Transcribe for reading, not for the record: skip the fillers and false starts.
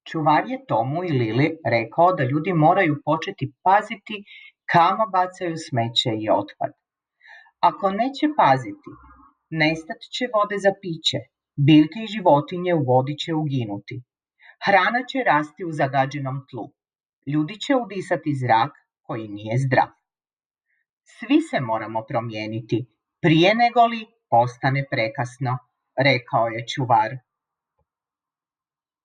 Čuvar je Tomu i Lili rekao da ljudi moraju početi paziti kamo bacaju smeće i otpad. Ako neće paziti, nestat će vode za piće, biljke i životinje u vodi će uginuti. Hrana će rasti u zagađenom tlu. Ljudi će udisati zrak koji nije zdrav. Svi se moramo promijeniti prije nego li postane prekasno, rekao je čuvar.